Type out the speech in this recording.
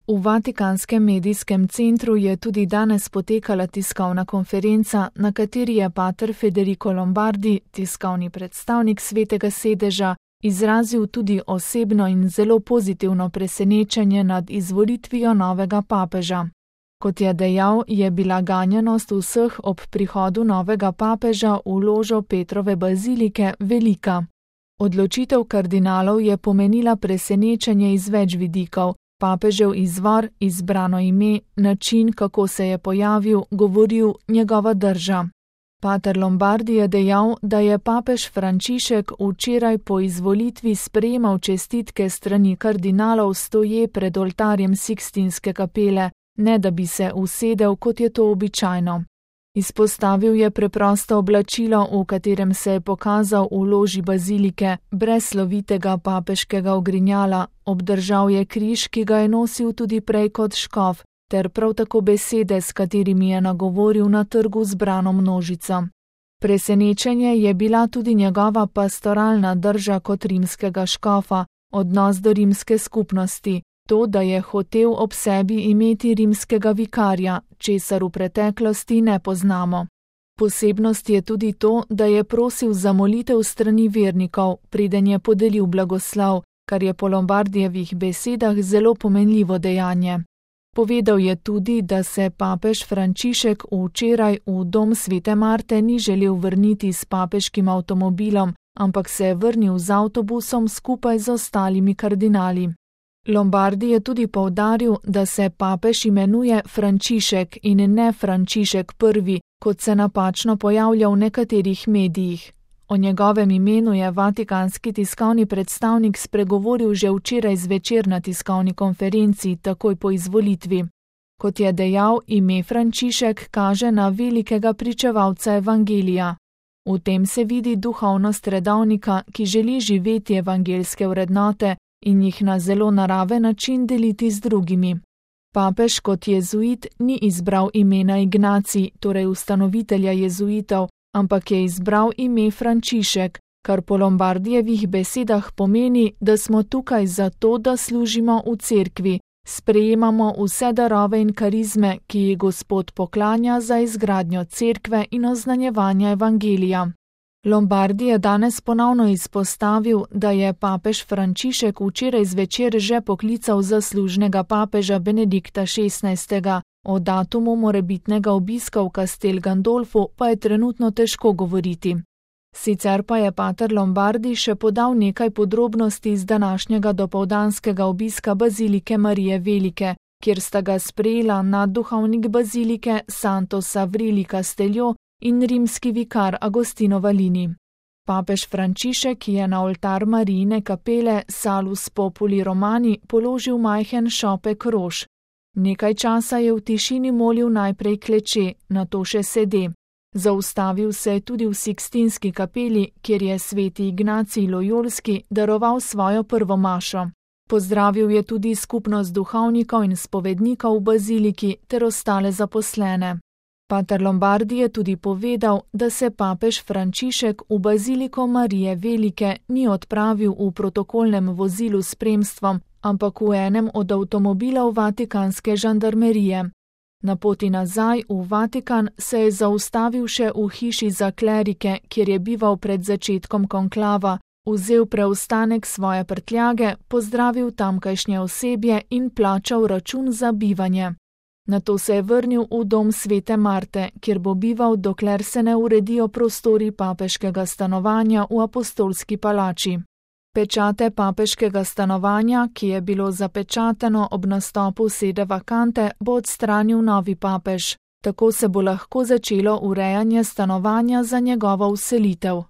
V Vatikanskem medijskem centru je tudi danes potekala tiskovna konferenca, na kateri je pater Federico Lombardi, tiskovni predstavnik Svetega sedeža, izrazil tudi osebno in zelo pozitivno presenečenje nad izvolitvijo novega papeža. Kot je dejal, je bila ganjenost vseh ob prihodu novega papeža v ložo Petrove bazilike velika. Odločitev kardinalov je pomenila presenečenje iz več vidikov. Papežev izvor, izbrano ime, način, kako se je pojavil, govoril, njegova drža. Pater Lombardi je dejal, da je papež Frančišek včeraj po izvolitvi sprejemal čestitke strani kardinalov stoje pred oltarjem Sikstinske kapele, ne da bi se usedel, kot je to običajno. Izpostavil je preprosto oblačilo, v katerem se je pokazal v loži bazilike, brez slovitega papeškega ogrinjala, obdržal je križ, ki ga je nosil tudi prej kot škof, ter prav tako besede, s katerimi je nagovoril na trgu zbrano množico. Presenečenje je bila tudi njegova pastoralna drža kot rimskega škofa, odnos do rimske skupnosti, to, da je hotel ob sebi imeti rimskega vikarja, česar v preteklosti ne poznamo. Posebnost je tudi to, da je prosil za molitev strani vernikov, preden je podelil blagoslov, kar je po Lombardijevih besedah zelo pomenljivo dejanje. Povedal je tudi, da se papež Frančišek včeraj v dom Svete Marte ni želel vrniti s papeškim avtomobilom, ampak se je vrnil z avtobusom skupaj z ostalimi kardinali. Lombardi je tudi poudaril, da se papež imenuje Frančišek in ne Frančišek I, kot se napačno pojavlja v nekaterih medijih. O njegovem imenu je vatikanski tiskovni predstavnik spregovoril že včeraj zvečer na tiskovni konferenci, takoj po izvolitvi. Kot je dejal, ime Frančišek kaže na velikega pričevalca evangelija. V tem se vidi duhovnost redovnika, ki želi živeti evangeljske vrednote in jih na zelo naraven način deliti z drugimi. Papež kot jezuit ni izbral imena Ignacij, torej ustanovitelja jezuitov, ampak je izbral ime Frančišek, kar po Lombardijevih besedah pomeni, da smo tukaj zato, da služimo v cerkvi, sprejemamo vse darove in karizme, ki jih Gospod poklanja za izgradnjo cerkve in oznanjevanje evangelija. Lombardi je danes ponovno izpostavil, da je papež Frančišek včeraj zvečer že poklical zaslužnega papeža Benedikta XVI. O datumu morebitnega obiska v Castel Gandolfu pa je trenutno težko govoriti. Sicer pa je pater Lombardi še podal nekaj podrobnosti iz današnjega dopoldanskega obiska bazilike Marije Velike, kjer sta ga sprejela nadduhovnik bazilike Santo Savrili Castello in rimski vikar Agostino Valini. Papež Frančišek je na oltar Marijine kapele Salus Populi Romani položil majhen šopek rož. Nekaj časa je v tišini molil najprej kleče, nato še sede. Zaustavil se je tudi v Sikstinski kapeli, kjer je sveti Ignacij Lojolski daroval svojo prvo mašo. Pozdravil je tudi skupnost duhovnikov in spovednikov v baziliki ter ostale zaposlene. Pater Lombardi je tudi povedal, da se papež Frančišek v baziliko Marije Velike ni odpravil v protokolnem vozilu s spremstvom, ampak v enem od avtomobilov vatikanske žandarmerije. Na poti nazaj v Vatikan se je zaustavil še v hiši za klerike, kjer je bival pred začetkom konklava, vzel preostanek svoje prtljage, pozdravil tamkajšnje osebje in plačal račun za bivanje. Nato se je vrnil v dom Svete Marte, kjer bo bival, dokler se ne uredijo prostori papeškega stanovanja v apostolski palači. Pečate papeškega stanovanja, ki je bilo zapečateno ob nastopu sede vakante, bo odstranil novi papež. Tako se bo lahko začelo urejanje stanovanja za njegovo vselitev.